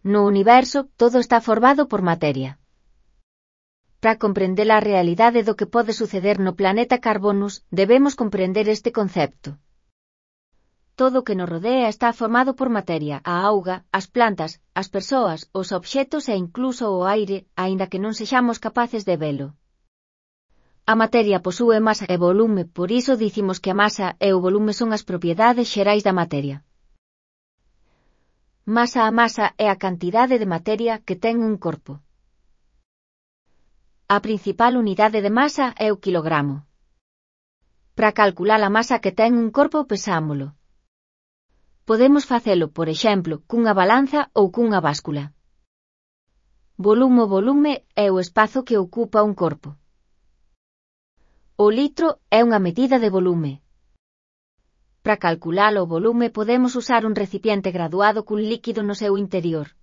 No universo, todo está formado por materia. Para comprender a realidade do que pode suceder no planeta Carbonus, debemos comprender este concepto. Todo o que nos rodea está formado por materia, a auga, as plantas, as persoas, os obxetos e incluso o aire, aínda que non sexamos capaces de velo. A materia posúe masa e volume, por iso dicimos que a masa e o volume son as propiedades xerais da materia. Masa é a cantidade de materia que ten un corpo. A principal unidade de masa é o quilogramo. Para calcular a masa que ten un corpo pesámolo. Podemos facelo, por exemplo, cunha balanza ou cunha báscula. Volume é o espazo que ocupa un corpo. O litro é unha medida de volume. Para calcular o volume podemos usar un recipiente graduado cun líquido no seu interior.